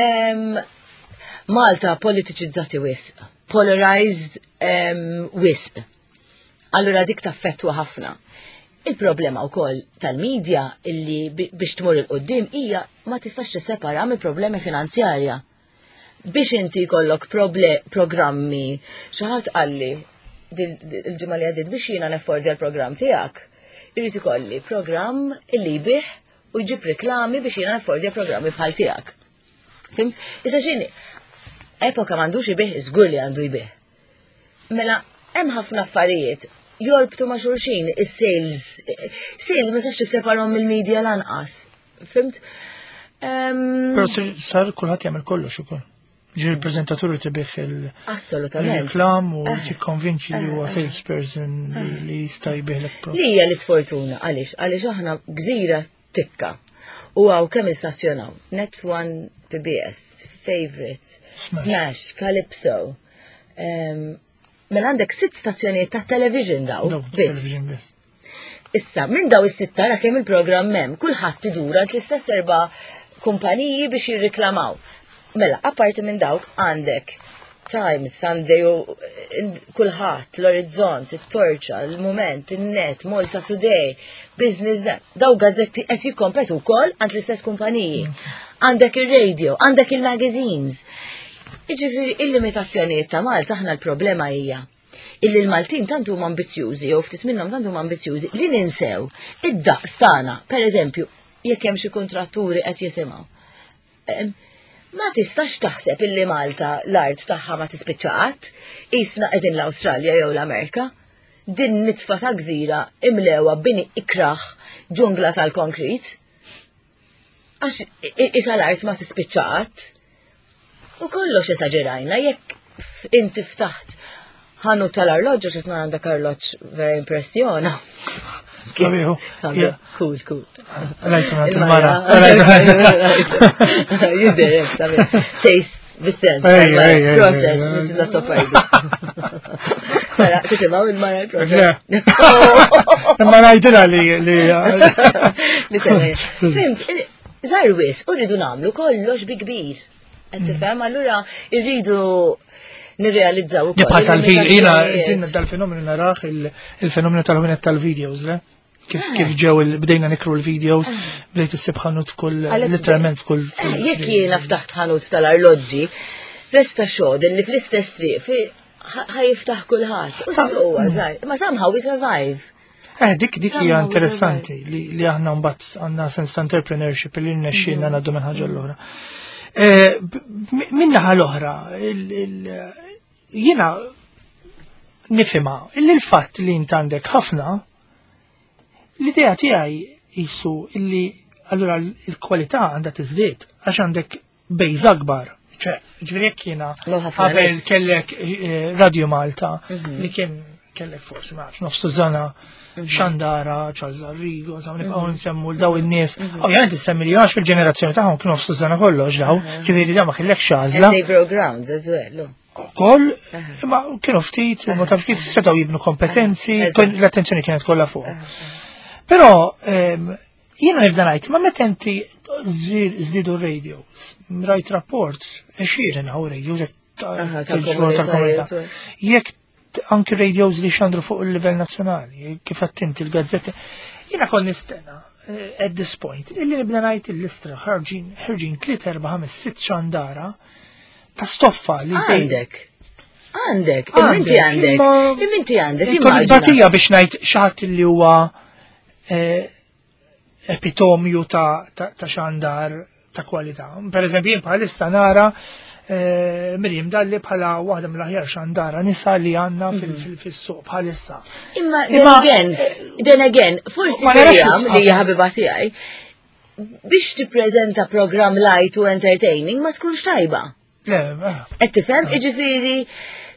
Em, Malta politiċizzati wisq, polarized em, wisq. Allura dik taffettwa ħafna. Il-problema wkoll tal-medja illi bi- biex tmur 'il quddiem hija ma tistax tissepara mill-problemi finanzjarja. Biex inti jkollok proble programmi, xi ħadd qalli dil- dil- il-ġimgħa li għaddiet, biex jiena neffordja l-programm tiegħek, irid ikolli programm illi jbigħ u jġib reklami biex jiena neffordja programmi bħal tiegħek. Fhimt? Issa x'inhi? Epoka m'għandux ibigħ, żgur li għandu jbigħ. Mela, hemm ħafna affarijiet jorbtu ma' xulxin, is-sales. Sales ma tistax tisseparahom mill-media lanqas. Fhimt? Em, Però sar- sar kulħadd jagħmel kollox ukoll. Ġiri il-preżentatur tibih il- Assolutament. il-reklam u tikkonvinċi li huwa salesperson li- li jista' jbigħlek pro. Li hija l-isfortuna, għaliex? Għaliex aħna gżira tikka. U hawn kemm istazzjonaw? Net One P B S, Favorite, Smash. Smash, Calypso. Em, Mela għandek sitt stazzjonijiet ta' television daw. No, Biss. television biss. Issa, minn daw is-sitta ra kemm il-programm hemm, kulħadd idur għand l-istess erba' kumpaniji biex jirriklamaw. Mela, apparti minn dawk għandek Times, Sunday, u kulħadd, l-Orizzont, it-Torċa, il-Moment, il-Net, Malta Today, Business Net, daw gazzetti qed jikkompetu wkoll għand l-istess kumpaniji. Għandek il-radio, għandek il-magazines. Jiġifieri il-limitazzjonijiet ta' Malta, aħna l-problema hija illi l-Maltin tant huma ambizzjużi, jew ftit minnhom tant huma ambizzjużi li ninsew id-daqs tagħna. Per eżempju, jekk hemm xi kontratturi qed jisimgħu. Em, Ma tistax taħseb illi Malta l-art tagħha ma tispiċċa qatt, qisna qegħdin l-Awstralja jew l-Amerika. Din nitfa ta' gżira imlewa bini ikraħ ġungla tal-konkrit. Għax isa l-art ma tispiċċa qatt. U kollox esaġerajna, jekk f- inti ftaħt ħanut tal-arloġġ, xi għandek arloġġ vera impressjona. Sabiħu. Sabiħu. Cool, cool. Rajtu nagħti il-mara. Jidher, sabiħ. Taste, bis-sens. Ej, ej, ej, Proset, ej, ej. Missus Azzopardi. Tara, tisimaw il-mara il-proset. Imma ngħidilha li li Li semmi. Fimt, żgħar wisq, u rridu nagħmlu kollox bi kbir. Qed tifhem, allura rridu nirrealizzaw ukoll. Bħal tal-video, jiena il-limitazzjonijiet. din dal-fenomenu naraħ il- il-fenomenu tal-ħwienet tal-videos, le? Kif kif ġew il- bdejna nikru l-videos, bdejt issib ħanut f'kull, Għalhekk- literalment f'kull. Eh, Jekk jiena ftaħt ħanut tal-arloġġi, resta xogħol li fl-istess triq fi ħa jiftaħ kulħadd. U s-suwa żgħir. Ma somehow we survive. Eh, dik dik hija Somehow we interessanti li li aħna mbagħad għandna sens ta' entrepreneurship li rnexxielna ngħaddu minn ħaġa l-oħra. Eh, b- Min naħa l-oħra, il- il- jiena nifhimha illi l-fatt li int għandek ħafna, l-idea tiegħi jisu illi allura l-kwalità għandha tiżdied għax għandek base akbar. ċe, ġifieri jekk jiena Lo ħafna qabel nies. kellek eh, Radio Malta li kien kellek forsi ma nafx nofs tużana xandara, Charles Arrigo, insomma nibqgħu nsemmu l daw in-nies. Ovvjament issemmi li għax fil-ġenerazzjoni tagħhom kienu nofs tużana kollox daw, ġifieri da ma kellekx għażla. And they broke grounds as well. oh. Ukoll, imma kienu ftit, ma tafx kif setgħu jibnu kompetenzi, Eżatt. kien- l-attenzjoni kienet kollha fuq. Però ehm, jiena nibda ngħid, ma meta inti żdiedu radios, rajt rapports, għexieren hawn radios jekk ta- Aha, tal-ġurnal tal-komunitajiet, tal-komunità. Jekk t- anki radios li xandru fuq il-livell nazzjonali, kif attinti il-gazzetti, jiena kon nistenna eh, at this point, illi nibda ngħid il-listra ħarġin ħarġin tliet erba' ħames sitt xandara ta' stoffa li Għandek. Għandek. Imma inti għandek. imma- Imma inti għandek. Ikun Immaġina. batija biex ngħid xi ħadd li huwa eh, epitomju ta', ta, ta' xandar ta' kwalità. Per eżempju, jien bħalissa nara eh, Miriam Dalli bħala waħda mill-aħjar xandara nisa li għandna fil- fil- fis-suq bħalissa. Imma then Imma- again, then again, forsi Ma narax Miriam isħab. li hija ħabiba tiegħi biex tippreżenta program light u entertaining ma tkunx tajba. Le, eh, Qed tifhem, jiġifieri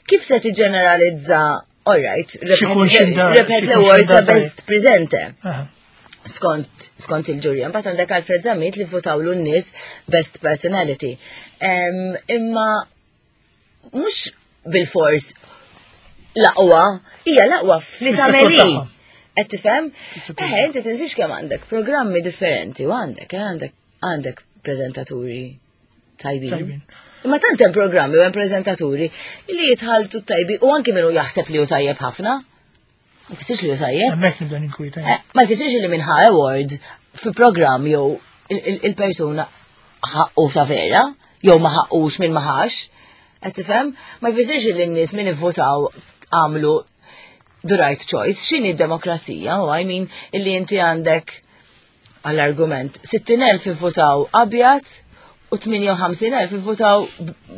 kif se tiġġeneralizza, all right, Xikun xindar- rebħet xikun l-awards xindar ta' best presenter. eh. Skont, skont il-ġurja. Mbagħad għandek Alfred Zammit li votawlu n-nies best personality. Em, imma mhux bil-fors l-aqwa, hija l-aqwa fli Fis-settur tagħmel hi. tagħha. Qed tifhem? Fis-settur Eh, inti tinsiex kemm għandek programmi differenti u għandek, eh, għandek għandek preżentaturi tajbin. Tajbin. Imma tant hemm programmi u hemm preżentaturi li jitħaltu tajbi u anki minnu jaħseb li hu tajjeb ħafna. Ma jfissirx li hu tajjeb. Hemmhekk nibda ninkwita. Eh, Ma jfissirx li minn ħa award fi programm jew il- il- il-persuna ħaqqu ta' vera, jew ma ħaqqux minn ma ħax. Qed tifhem? Ma jfissirx li n-nies min ivvotaw għamlu the right choice. X'inhi d-demokrazija? U I mean illi inti għandek għall-argument sittin elf ivvotaw abjad u tmienja u ħamsin elf ivvotaw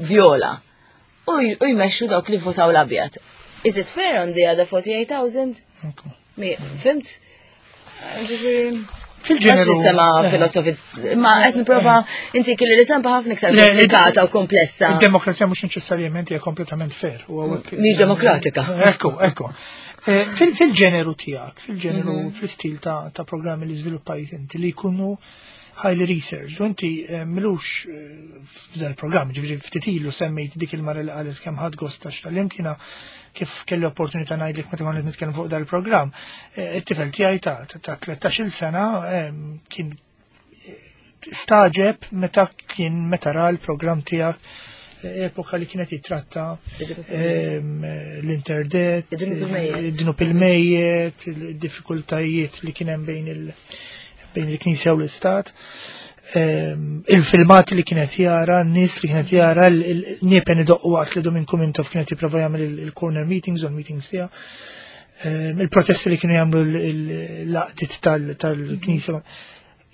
viola. U j- u jmexxu dawk li votaw l-abjad. Is it fair on the other forty-eight thousand? Ekku. Mi, fimt? Ġifieri, Fil-ġeneru. sistema eh, filosofi, ma qed nipprova inti kelli li sempa ħafna iktar Le, komplikata u komplessa. Il-demokrazija mhux neċessarjament hija kompletament fair. U hawnhekk- Mhix demokratika. Ekku, ekku. Eh, fil- Fil-ġeneru tiegħek, fil-ġeneru, Mhm. fil-stil ta' ta' programmi li żviluppajt inti li jkunu highly researched. U inti eh, milux eh, f'dan il-programm, ġifieri ftit ilu semmejt dik il-mara li qalet kemm ħadd gost għax tal jiena Kif kelli opportunità ngħidlek meta konna nitkellem fuq dal-programm, eh, it-tifel tiegħi ta' ta' tlettax-il sena em, kien stagħġeb meta kien meta ra l-programm tiegħek eh, epoka li kienet jitratta em, l-interdet, Id-dnub il-mejjet. id-dnub il-mejjet, il-diffikultajiet li kien hemm bejn il- bejn il-Knisja u l-Istat. Em, il-filmati li kienet jara, n-nies li kienet jara, il-niepen idoqqu waqt li Duminku Mintoff kienet jipprova jagħmel il- il-corner meetings u l-meetings tiegħu. Em, Il-protesti li kienu jagħmlu l-għaqdiet tal-Knisja.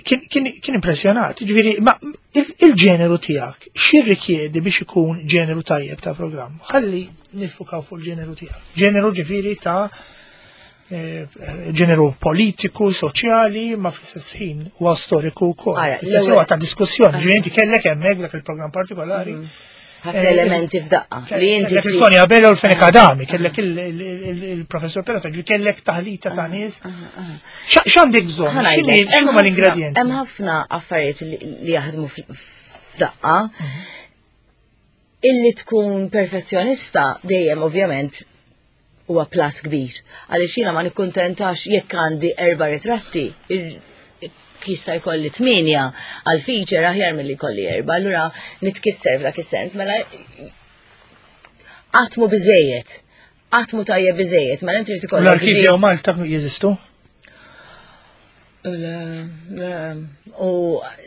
Kien, kien, kien impressjonat, ġifieri, ma il- il-ġeneru tiegħek, x'jirrikjedi biex ikun ġeneru tajjeb ta' programm? Ħalli niffukaw fuq il-ġeneru tiegħek. Ġeneru ġifieri ta' eh, ġeneru politiku, soċjali, ma fl-istess ħin huwa storiku wkoll. Ara, Fl-istess l-ewwel- huwa ta' diskussjoni, ġifieri inti kellek hemmhekk dak il-programm partikolari. Ħafna elementi f'daqqa li inti Kellek trid- il-Tony Abela u l-Fenech Adami, kellek il- il- il- il-professor Perrotta, ġifieri kellek taħlita ta' nies. Xa- X'għandek bżonn? Ħa ngħidlek, X'inhi- hemm X'inhuma ħafna- l-ingredienti? Hemm ħafna affarijiet li li jaħdmu fl- f'daqqa. Illi tkun perfezzjonista dejjem ovvjament huwa plus kbir. Għaliex jiena ma nikkuntentax jekk għandi erba' ritratti, ir- jista' jkolli tminja għal feature aħjar milli jkolli erba', allura nitkisser f'dak is-sens, mela qatt mhu biżejjed. Qatt mhu tajjeb biżejjed, mela inti trid ikollok L-arkivji u Malta jeżistu? Le, le. U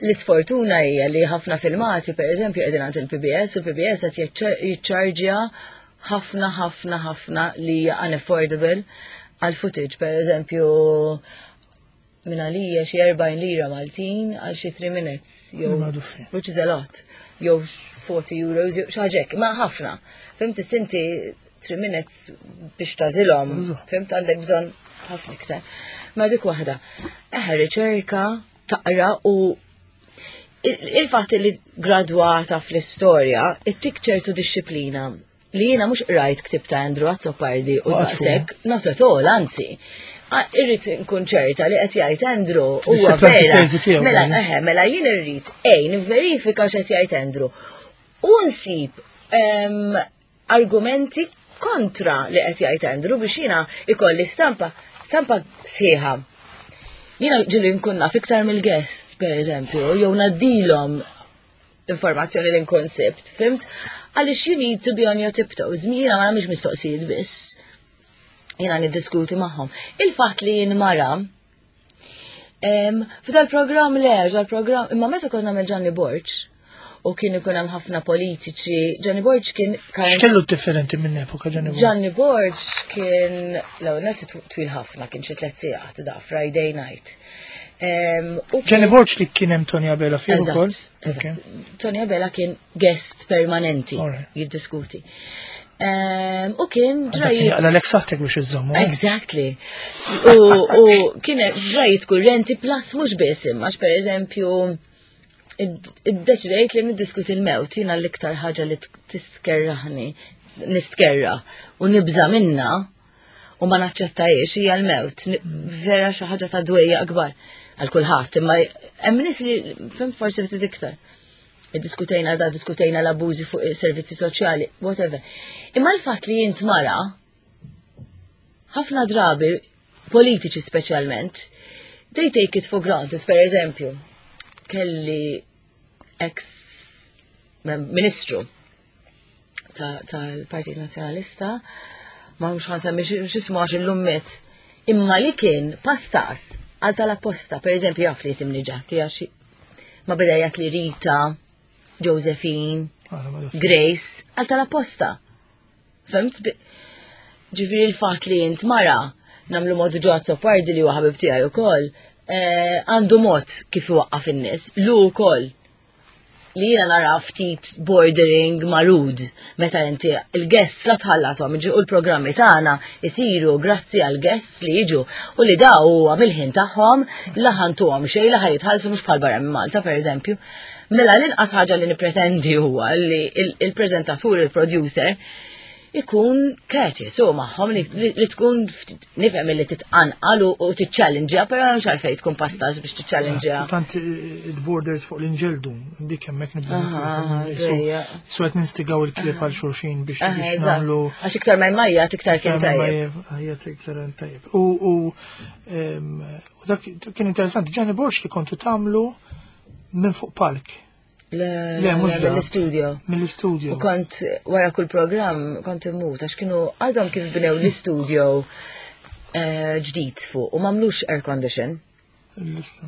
l-isfortuna hija li ħafna filmati, per eżempju, qegħdin għand il-P B S u l-P B S qed jiċċarġja ħafna ħafna ħafna li hija unaffordable għal footage, per eżempju, minn għalija xi erbgħin lira Maltin għal xi three minutes, jew Maduffi. which is a lot, jew forty euros, jew xi ħaġa hekk, ma ħafna. Fhimt, inti three minutes biex tagħżilhom, fhimt, għandek bżonn ħafna iktar. Ma dik waħda. Eħe, riċerka, taqra u il- il-fatt li gradwata fl-istorja, ittik ċertu disċiplina li jiena mhux qrajt ktib ta' Andrew Azzopardi u Waqfu. daqshekk, not at all, anzi. Ah, irrid nkun ċerta li qed jgħid Andrew huwa Tixxipla vera. t-teżi tiegħu, Mela, kważi. eħe, mela jien irrid ej nivverifika x'qed jgħid Andrew. U nsib em, argumenti kontra li qed jgħid Andrew biex jiena ikolli stampa, stampa sħiħa. Jiena ġieli nkun naf iktar mill-guests, per eżempju, jew ngħaddilhom informazzjoni li nkun sibt, fhimt? Għaliex you need to be on your tiptoes. Jiena ma nagħmilx mistoqsijiet biss. Jiena niddiskuti magħhom. Il-fatt li jien mara, em, f'dal programm le, f'dal programm, imma meta konna nagħmel Gianni Borg, u kien ikun hemm ħafna politiċi, Gianni Borg kien X'kellu differenti minn epoka Gianni Borg? Gianni Borg kien, l net twil ħafna, kien xi tliet sigħat da Friday night. Em, u Gianni kien- Borg li kien hemm Tony Abela fih Eżatt, ukoll? eżatt. Tony Abela kien guest permanenti Alright. jiddiskuti. Em, U kien Dak kien ġrajiet. jaqla' saħtek biex iżommu. eh? Exactly. U, u kien ġrajiet kurrenti plus mhux biss imma per eżempju iddeċidejt li niddiskuti l-mewt, jiena l-iktar ħaġa li tistkerraħni, nistkerra u nibża minna u ma naċċettajiex hija l-mewt. Ni- Vera xi ħaġa ta' dwejja akbar għal kulħadd, imma hemm nies li fhimt forsi ftit iktar. Diskutejna da, diskutejna l-abużi fuq is-servizzi soċjali, whatever. Imma l-fatt li jint mara, ħafna drabi, politiċi speċjalment, they take it for granted. Per eżempju, kelli ex ministru tal-Partit Nazzjonalista, ma mhux ħa nsemmi x'ismu għax illum miet, imma li kien pastas għal tal-apposta, per eżempju, jaf li jisimni Jackie, għax ma beda jgħid li Rita, Josephine, Ah, Grace, għal tal-apposta. Fhimt? Ġifieri l-fatt li jint mara, nagħmlu mod Joe Azzopardi li huwa ħabib tiegħi ukoll, eh, għandu mod kif iwaqqaf in-nies, lu wkoll li jiena nara ftit bordering ma' rude meta inti il-guests la tħallasom u l-programmi tagħna isiru grazzi għal guests li jiġu u li daw huwa mill-ħin tagħhom, la ħa ntuhom xejn, la ħa jitħallsu, mhux bħal barra minn Malta, pereżempju. Mela l-inqas ħaġa li nippretendi huwa li il-preżentatur, il-producer, Ikun courteous u magħhom li, li, li tkun ftit- nifhem li titqanqal u, u tiċċallenġja, però mhux għalfejn tkun pastaż biex tiċċallenġja. Tant il-borders fuq l-inġeldu, dik hemmhekk nibdew Aha, aha, So ġejja. so qed ninstigaw il-klieb għal xulxin biex Aha, biex eżatt. nagħmlu Għax iktar ma jmajjat, iktar kien tajjeb. Ħajjat iktar tajjeb. U u em, u dak kien interessanti, Ġanni Borg li kontu tagħmlu minn fuq palk, Le, Le, mhux le, dak. mill-studio. Mill-studio. U kont wara kull program kont immut għax kienu għadhom kif bnew l-studio eh, ġdid fuq u m'għamlux air condition. Il-lista.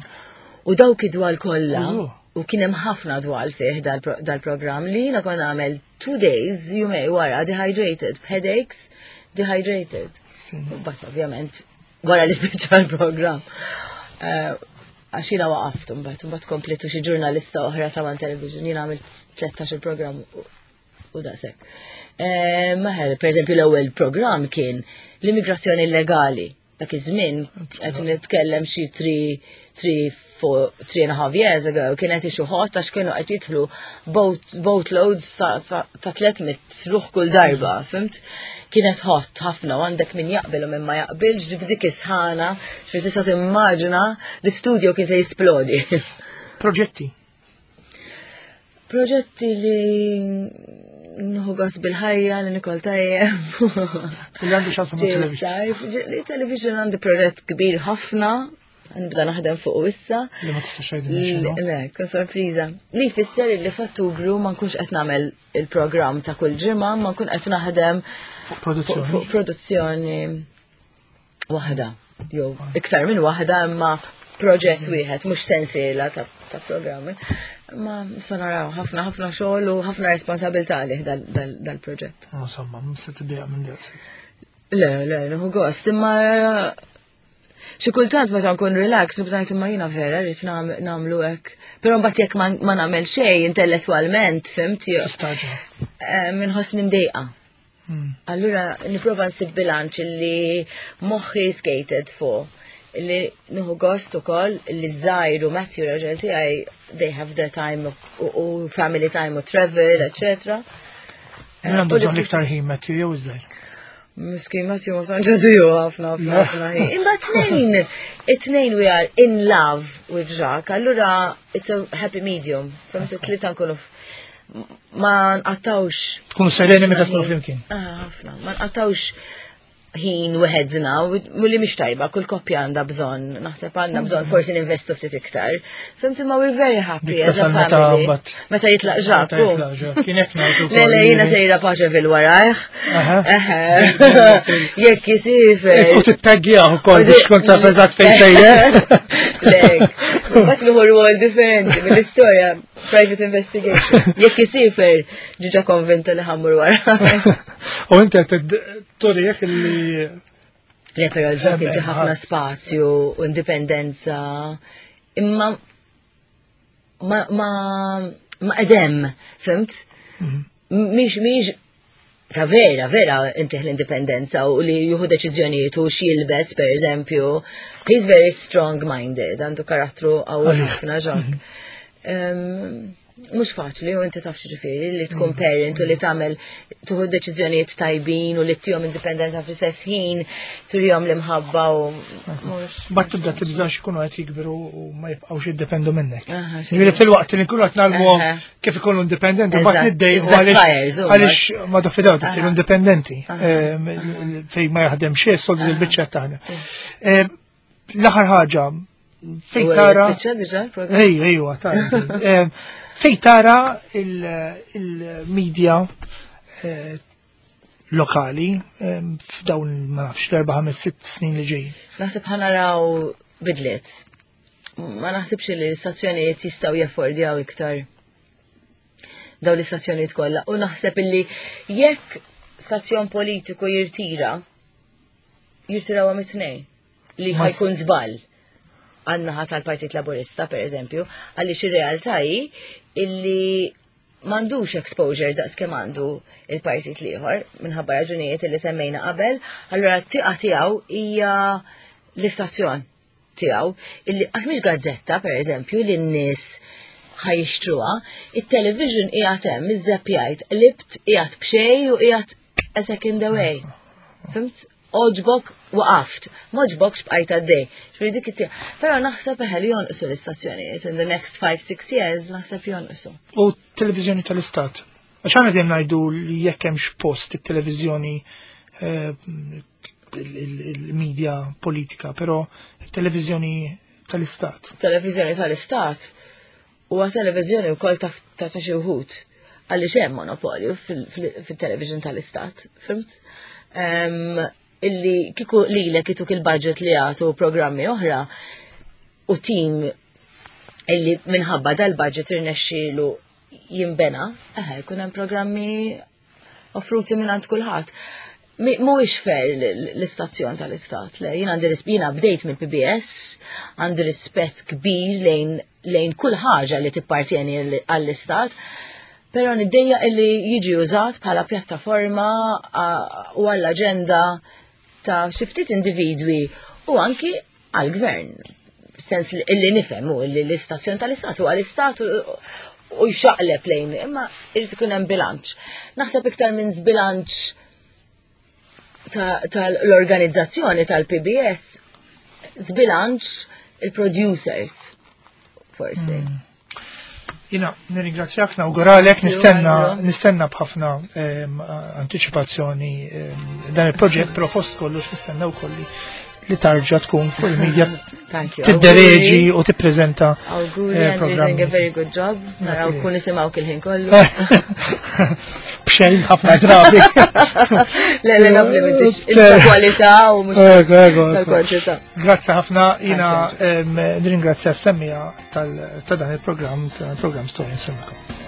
U dawk id-dwal kollha Użu. U kien hemm ħafna dwal fih dal-pro- dal-program li jiena kont nagħmel two days, jumejn wara, dehydrated, headaches, dehydrated. Sì. U bat ovvjament wara li spiċċa l-program. Eh, Għax jiena waqaft mbagħad, mbagħad komplitu xi ġurnalista oħra ta' One Television, jiena għamilt tlettax il-program u- u daqshekk. Eh, Maħel, per eżempju, l-ewwel program kien l-immigrazzjoni illegali. Dak iż-żmien qed nitkellem xi three, three, four, three and a half years ago, kien qed issue hot għax kienu qed jidħlu boat, boatloads ta' ta' ta' tliet mitt ruħ kull darba, fhimt? Kienet hot ħafna u għandek min jaqbel u min ma jaqbilx f'dik is-sħana, xfi tista' timmaġina l-istudio kien se jisplodi. Proġetti. Proġetti li nieħu gost bil-ħajja, li nikol tajjeb. Li għandu x'jaqsam ma' television. Tajf, li television għandi proġett kbir ħafna, nibda naħdem fuq issa. Li ma tistax tgħidilna x'inhu. Le, kun sorpriża. Li jfisser li f'Ottubru ma nkunx qed nagħmel il-programm ta' kull ġimgħa, ma nkun qed naħdem Fuq fuq produzzjoni. fuq produzzjoni waħda. Jew iktar minn waħda, imma proġett wieħed, mhux sensiela ta' ta' programmi. Ma sa naraw ħafna ħafna xogħol u ħafna responsabilità għalih dal- dal-proġett. Insomma, mhux se tiddejjaq minn daqshekk. Le, le, nieħu gost, imma xi kultant meta nkun relax, nibda ngħid, imma jiena vera rrid nam- nagħmlu hekk. Però mbagħad jekk ma ma nagħmel xejn intellettwalment, fhimt, jew- Istaġa. eh, minħossni mdejqa. Hmm. Allura nipprova nsib bilanċ li moħħi skated fuq li nieħu gost ukoll li żgħir u Matthew raġel tiegħi, they have their time u, u family time u travel, eccetera. Min għandu U li bżonn l-iktar ħin, Matthew jew iż-żgħir? Miskin Matthew ma tantx għadu ħafna ħafna ħafna ħin. Imma tnejn, it-tnejn we are in love with Jacques, allura it's a happy medium. Fhimt, it-tlieta nkunu f- ma nqattawx Tkunu sereni meta tkunu flimkien. Ah, ħafna, ma nqattawx ħin weħedna, u li mhix tajba, kull koppja għandha bżonn, naħseb għandna bżonn forsi ninvestu ftit iktar. Fhimt, imma we're very happy Dik as a tasal meta family. mbagħad- Meta jitlaq Meta Jacques. jitlaq Jacques. Kien hekk ngħidu Le, le, wkoll jiena li- sejra Paceville warajh. Aha. Eħe. Jekk jisifer. U tittaggjaw ukoll biex tkun taf eżatt fejn sejjer. Lek, bat nieħu rwol differenti mill-istorja, private investigation. Jekk jisifer, ġiġa konvinta li ħa mmur wara. U inti qed turih li Le, però l-Jacques Ehm, inti ħafna ħadd. spazju u indipendenza. Imma ma ma ma edem, fhimt? Mhix mhix ta' vera, vera inti l-indipendenza u li jieħu deċiżjonijiet u x'jilbes, per eżempju. He's very strong-minded, għandu karattru qawwi Għalih. ħafna Jacques. Em, Mhux faċli, u inti taf ġifieri li tkun parent u li tagħmel tieħu deċiżjonijiet tajbin u li ttihom indipendenza fl-istess ħin turihom l-imħabba u mhux. Bat tibda tibża x'ikunu qed jikbru u ma jibqgħux jiddependu minnek. Aha, Ġifieri fil-waqt li nkunu qed ngħallmuhom Aha. kif ikunu indipendenti, bat Eżatt, niddejqu it backfires, u għaliex ma dofidaw tisir Aha. indipendenti. Ehm, fejn ma jaħdem xejn, soldi l-biċċa taħdem. Ehm, L-aħħar ħaġa, fejn U tara. Spiċċa diġà l-programm? Ej, ejwa, tara. Ehm, Fejn tara il- il-media eh, lokali ehm, f'dawn, ma nafx, l-erba' ħames sitt snin li ġejjin? Naħseb ħa naraw bidliet. Ma naħsibx li l-istazzjonijiet jistgħu jaffordjaw iktar daw l-istazzjonijiet kollha. U naħseb illi jekk stazzjon politiku jirtira, jirtiraw mit-tnejn li Ma ħa jkun żball għan-naħa tal-Partit Laburista, per eżempju, għaliex ir-realtà hi illi m'għandux exposure daqs kemm għandu il-partit l-ieħor minħabba raġunijiet illi semmejna qabel, allura t-tieqa tiegħu hija l-istazzjon tiegħu illi għax mhix gazzetta, per eżempju, li n-nies ħa jixtruha, it-television qiegħed hemm, iż-żeppjajt, libt qiegħed b'xejn u qiegħed a second away. Fhimt? Għoġbok waqaft, m'għoġbokx bqajt għaddej. Ġifieri dik it Però naħseb eħe li jonqsu l-istazzjonijiet in the next five, six years, naħseb jonqsu. U televizjoni tal-istat. Għax aħna dejjem ngħidu li jekk hemmx post it-televiżjoni eh, il-media politika, però televizjoni tal-istat. Televizjoni tal-istat huwa televizjoni wkoll ta' ta' xi wħud għaliex hemm monopolju fil-television tal-istat, fhimt? Illi kieku lilek jtuk il-budget li għatu programmi oħra u tim illi minħabba dal-budget irnexxielu jimbena, eħe, jkun hemm programmi offruti minn għand kulħadd. Mhuwiex fair l-istazzjon tal-istat, le, jien għandi jiena bdejt mill-P B S, għandi rispett kbir lejn lejn kull ħaġa li tippartjeni għall-istat, però niddejjaq illi jiġi użat bħala pjattaforma u għall-aġenda ta' xi ftit individwi u anki għall-gvern. Sens illi nifhem u li l-istazzjon tal-istat u għall-istat u jxaqleb lejn, imma irid ikun hemm bilanċ. Naħseb iktar minn żbilanċ tal-organizzazzjoni tal-P B S, żbilanċ il-producers, forsi. Mm. Jiena, nirringrazzjak, nawguralek, nistenna, nistenna b'ħafna anticipazzjoni dan il-proġett, però fost kollox nistenna wkoll li terġa' tkun fuq il-media tiddereġi u tippreżenta. Awguri, eh, you're doing a very good job. Naraw kun nisimgħu il-ħin kollu. B'xejn ħafna drabi. Le, le, naf li m'intix il-kwalità u mhux tal-kwantità. Grazzi ħafna, jiena nirringrazzja s-semmiegħa ta' dan il-programm, tal-programm Story Nsellmilkom.